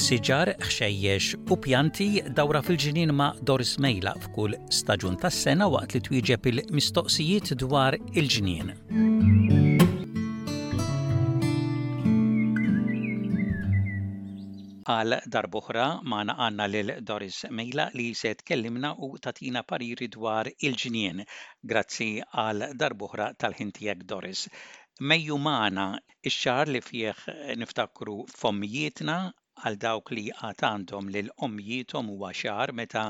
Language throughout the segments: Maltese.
Siġar, ħxejjex u pjanti dawra fil-ġnien ma' Doris Mejla f'kull staġun tas-sena waqt li twieġeb il-mistoqsijiet dwar il-ġnien. Għal darb'oħra magħna għandna lil Doris Mejla li se tkellimna u tagħtina pariri dwar il-ġnien. Grazzi għal darb'oħra tal-ħin tiegħek Doris. Mejju magħna Ix-xahar li fih niftakru f'ommijietna, għal dawk li għad għandhom lil ommijiethom huwa xahar meta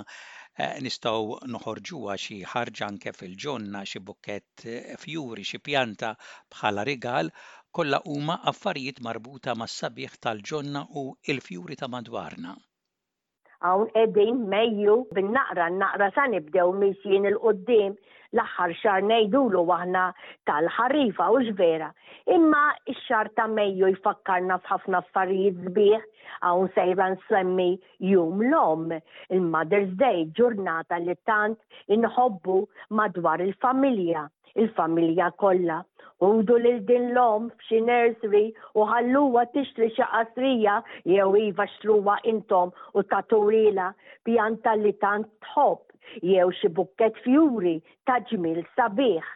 nistgħu noħorġuha xi ħarġa anke fil-ġonna, xi bukkett fjuri, xi pjanta bħala rigal, kollha huma affarijiet marbuta mas-sabiħ tal-ġonna u l-fjuri ta' madwarna. Hawn qegħdin Mejju, bin-naqra n-naqra sa nibdew mixjin 'il quddiem, l-aħħar xahar ngħidulu aħna tal-ħarifa, hux vera? Imma x-xahar ta' Mejju jfakkarna f'ħafna affarijiet sbieħ, hawn sejra nsemmi Jum l-Omm, il-Mother's Day, ġurnata li tant inħobbu madwar il-familja. il-familja kollha. Ħudu lil din l-omm f'xi nursery u ħalluha tixtri xi qasrija jew iva xtruha intom u tagħtuhielha pjanta li tant tħobb jew xi bukkett fjuri ta' ġmiel sabiħ.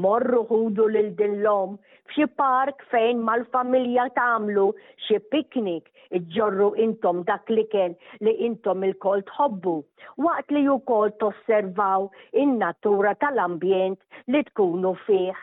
Morru ħudu lil din l-omm f'xi park fejn mal-familja tagħmlu xi picnic Iġġorru intom dak l-ikel li intom ilkoll tħobbu, waqt li wkoll tosservaw in-natura tal-ambjent li tkunu fih.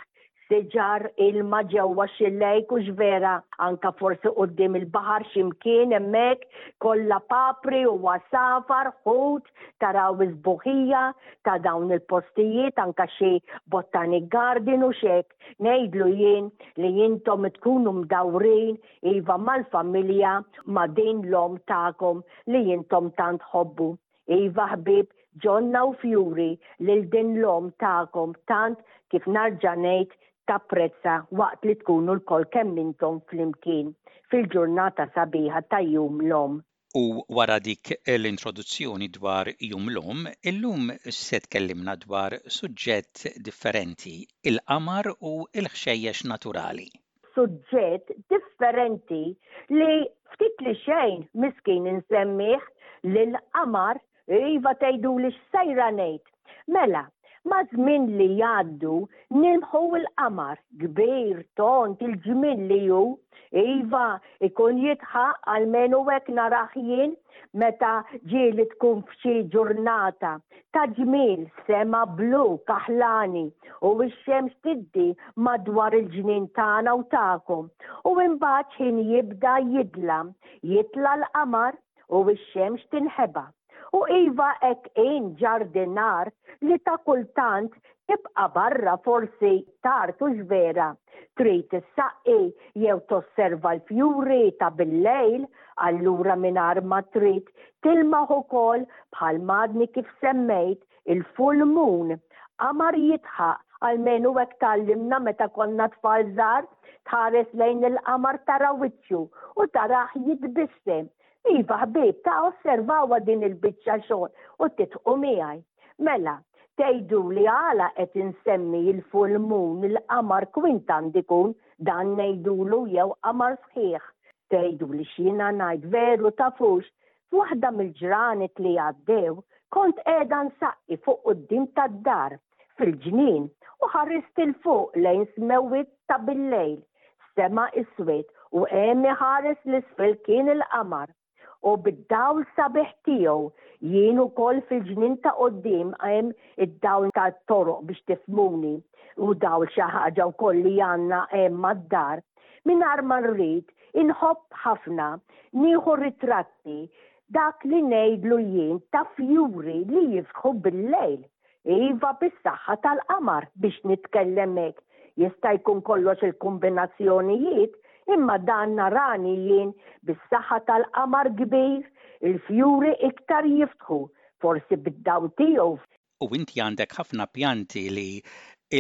Siġar, ilma ġewwa xi lake hux vera, anka forsi quddiem il-baħar xi mkien hemmhekk, kollha papri u għasafar, ħut, taraw is-sbuħija ta' dawn il-postijiet, anka xi botanic garden u x'hekk. Ngħidlu jien li intom tkunu mdawrin Iva mal-familja, ma' din l-omm tagħkom li intom tant tħobbu. Iva ħbieb, ġonna u fjuri lil din l-omm tagħkom tant kif narġa' ngħid tapprezza waqt li tkunu lkoll kemm intom flimkien fil-ġurnata sabiħa ta' Jum l-Omm. U wara dik l-introduzzjoni dwar Jum l-Omm, illum se tkellimna dwar suġġett differenti, il-qamar u l-ħxejjex naturali. Suġġett differenti li ftit li xejn miskin insemmih, lill-qamar Iva tgħiduli x'sejra ngħid. Mela, maż-żmien li jgħaddu nilmħu l-qamar, kbir, tond, il-ġmiel li hu. Iva, ikun jidħaq, almenu hekk narah jien, meta ġieli tkun f'xi ġurnata ta' ġmiel, sema blu, kaħlani, u x-xemx tiddi madwar il-ġnien tagħna u tagħkom. U imbagħad x'ħin jibda jidlam, jitla' l-qamar, u x-xemx tinħeba. U iva hekk in ġardinar li ta' kultant tibqa' barra forsi tard hux vera, trid issaqqi jew tosserva l-fjuri ta' bil-lejl, allura mingħajr ma trid tilmaħ ukoll bħal m'għadni kif semmejt il-full moon, qamar jidħaq, almenu hekk tgħallimna meta konna tfal żgħar, tħares lejn il-qamar tara wiċċu u tarah jitbissem. Iva ħbieb, ta' osservawha din il-biċċa xogħol u tidħqu miegħi. Mela, tgħiduli għala qed insemmi il-full moon, il-qamar kwint għand ikun dan ngħidulu jew qamar sħiħ. Tgħiduli x'jiena ngħid veru tafux F'waħda mill-ġranet li għaddew kont qiegħda nsaqqi fuq quddiem tad-dar, fil-ġnien, u ħarist 'il fuq lejn smewwiet ta' billejl, sema iswed u hemm iħares 'l isfel kien il-qamar. U bid-dawl sabiħ tiegħu, jien ukoll fil-ġnien ta' quddiem hemm id-dawl tat-toroq biex tifhmuni, u dawl xi ħaġa wkoll li għandna hemm mad-dar, Mingħajr ma rrid, inħobb ħafna nieħu ritratti dak li ngħidlu jien ta' fjuri li jiftħu bil-lejl. Iva bis-saħħa tal-qamar biex nitkellem hekk. Jista' jkun kollox il-kombinazzjonijiet, imma dan narani jien bis-saħħa tal-qamar kbir, il-fjuri iktar jiftħu, forsi bid-dawl tiegħu U inti għandek ħafna pjanti li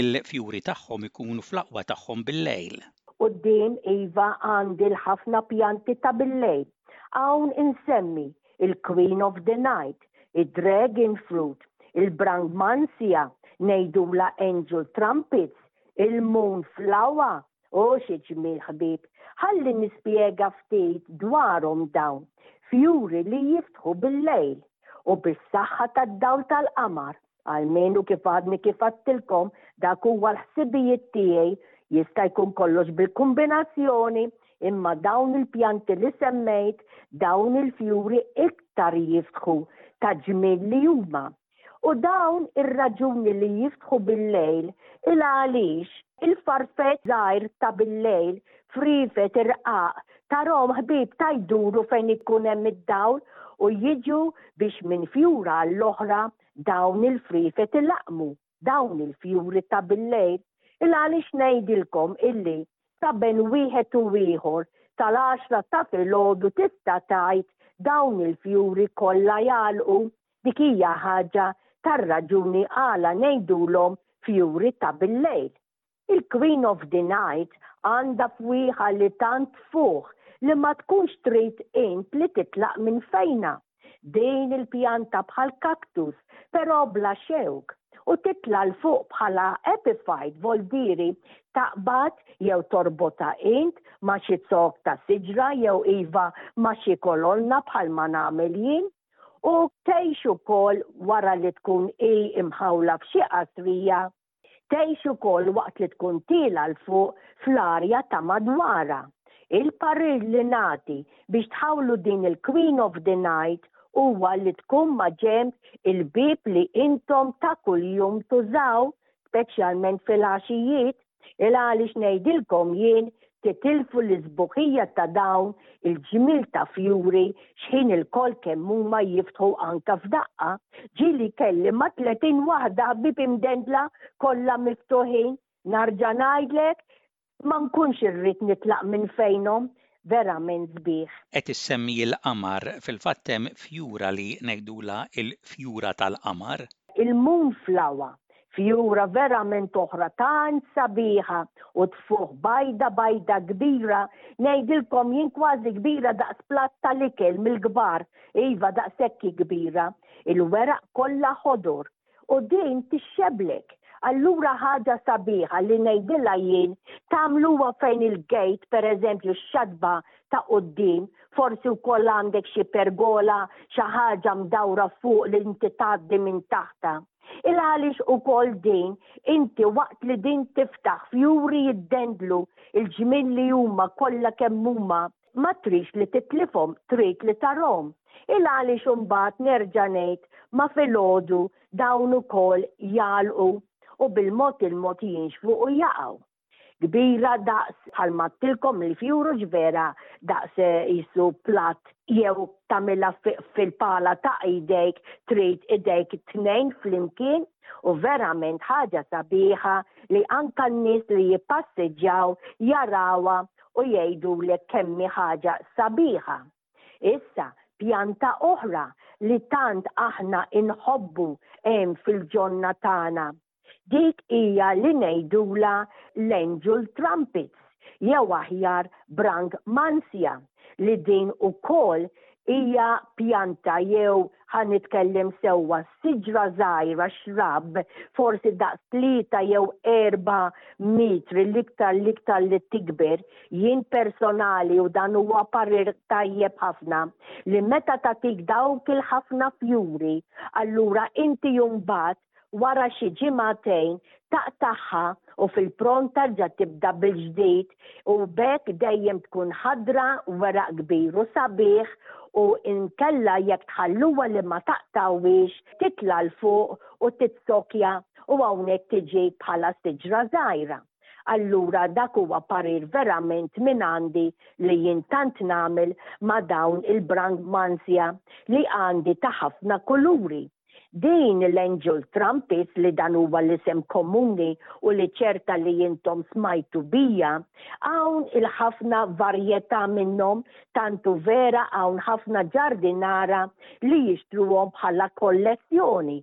l-fjuri tagħhom ikunu fl-aqwa tagħhom bil-lejl. Quddiem iva għandi l-ħafna pjanti ta' bil-lejl. Hawn insemmi il-Queen of the Night, id-Dragon Fruit, il-Brangmansia, ngħidulha Angel Trumpets, il-Moon Flower, O xi ġmiel ħbieb! Ħalli nispjega ftit dwarhom dawn. Fjuri li jiftħu bil-lejl u bis-saħħa tad-dawl tal-qamar, almenu kif għadni kif għadtilkom dak huwa l-ħsibijiet tiegħi, jista' jkun kollox bil-kumbinazzjoni, imma dawn il-pjanti li semmejt, dawn il-fjuri iktar jiftħu ta' ġmiel li huma. U dawn ir-raġuni li jiftħu bil-lejl il għaliex il-farfett żgħir ta' bil-lejl, friefet irqaq, tarahom ħbieb ta' jduru fejn ikun hemm id-dawl u jiġu biex minn fjura għall-oħra dawn il-friefet ilaqqmu dawn il-fjuri ta' bil-lejl. Il għaliex ngħidilkom illi ta' bejn wieħed u ieħor tal-għaxra ta' filgħodu tista' tgħid dawn il-fjuri kollha jagħlqu. Dik hija ħaġa tar-raġuni għala ngħidulhom fjuri ta' bil-lejl. Il-Queen of the Night għandha fwieħa li tant tfuħ li ma tkunx trid int li titlaq minn fejnha. Din il-pjanta bħal kaktus, però bla xewk, u titla' 'l fuq bħala epiphyte voldieri taqbad jew torbotha int ma' xi zokk ta' siġra jew iva ma' xi kolonna bħalma nagħmel jien. U tgħix ukoll wara li tkun hi mħawla f'xi qasrija, tgħix ukoll waqt li tkun tiela' 'l fuq fl-arja ta' madwarha. Il-parir li nagħti biex tħawlu din il-Queen of the Night huwa li tkun ma' ġenb il-bieb li intom ta' kuljum tużaw, speċjalment filgħaxijiet, Il għaliex ngħidilkom jien titilfu l-isbuħija ta' dawn il-ġmiel ta' fjuri x'ħin ilkoll kemm huma jiftħu anka f'daqqa. Ġieli kelli ma' 30 waħda ħbieb imdendla kollha miftuħin. Narġa' ngħidlek ma nkunx irrid nitlaq minn fejnhom, verament sbieħ. Qed issemmi l-qamar, fil-fatt hemm fjura li ngħidulha l-fjura tal-qamar. Il-moonflower, fjura verament oħra tant sabiħa u tfuħ bajda bajda kbira, ngħidilkom jien kważi kbira daqs platt tal-ikel mill-kbar, iva daqshekk hi kbira, il-weraq kollha ħodor, u din tixxeblek. Allura ħaġa sabiħa li ngħidilha jien tagħmluha fejn il-gate pereżempju x-xatba ta' quddiem, forsi wkoll għandek xi pergola xi ħaġa mdawra fuq li inti tgħaddi minn taħtha. Il għaliex ukoll din inti waqt li din tiftaħ fjuri jiddendlu il-ġmiel li huma kollha kemm huma ma tridx li titlifhom, trid li tarhom. Il għaliex imbagħad nerġa' ngħid ma' filgħodu dawn ukoll jagħlqu u bil-mod il-mod jinxfu u jaqgħu. Kbira daqs bħalma għedtilkom il-fjuru x'vera daqs qisu platt jew tagħmilha fil-pala ta' idejk trid idejk it-tnejn flimkien u verament ħaġa sabiħa li anka n-nies li jippassiġġaw jarawha u jgħidulek kemm hi ħaġa sabiħa. Issa, pjanta oħra li tant aħna inħobbu hemm fil-ġonna tagħna. Dik hija li ngħidulha l-angel trumpets jew aħjar brangmansia li din ukoll hija pjanta jew ħa nitkellem sewwa, siġra żgħira, shrub, forsi daqs 3 jew 4 metri l-iktar l-iktar li tikber, jien personali u dan huwa parir tajjeb ħafna, li meta tagħtik dawk il-ħafna fjuri, allura inti mbagħad wara xi ġimagħtejn taqtagħha u fil-pront terġa' tibda bil-ġdid u b'hekk dejjem tkun ħadra, weraq kbir u sabiħ u inkella jekk tħalluha li ma taqtgħuhiex titla' 'l fuq u titsokja u hawnhekk tiġi bħala siġra żgħira. Allura dak huwa parir verament minn għandi li jien tant nagħmel ma' dawn il-brangmansia li għandi ta' ħafna kuluri. Din l-Angel Trumpets li dan huwa l-isem komuni u li ċerta li intom smajtu bija, hawn il-ħafna varjetà minnhom tant hu vera hawn ħafna ġardinara li jixtruhom bħala kollezzjoni.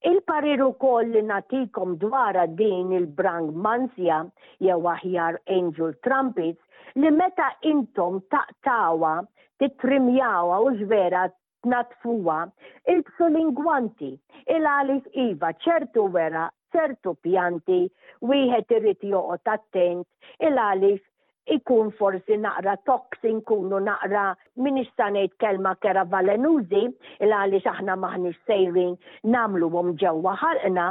Il-parir ukoll li nagħtikom dwarha din il-Brangmansia jew aħjar Angel Trumpets li meta intom taqtgħuha, tittrimjawha hux vera tnaddfuha, ilbsu l-ingwanti, il-għaliex iva ċertu weraq, ċertu pjanti wieħed irid joqgħod attent il-għaliex Ikun forsi naqra toxi nkunu naqra m'iniex sa ngħid kelma kera valenużi il għaliex aħna m'aħniex sejrin nagħmluhom ġewwa ħalqna,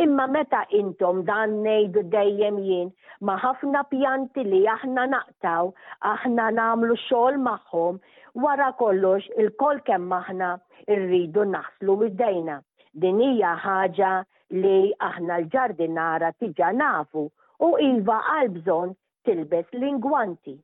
imma meta intom dan ngħidu dejjem jien ma' ħafna pjanti li aħna naqtgħu, aħna nagħmlu xogħol magħhom, wara kollox ilkoll kemm aħna rridu naħslu idejna. Din hija ħaġa li aħna l-ġardinara tiġa nafu u iva għal bżonn tilbes l-ingwanti.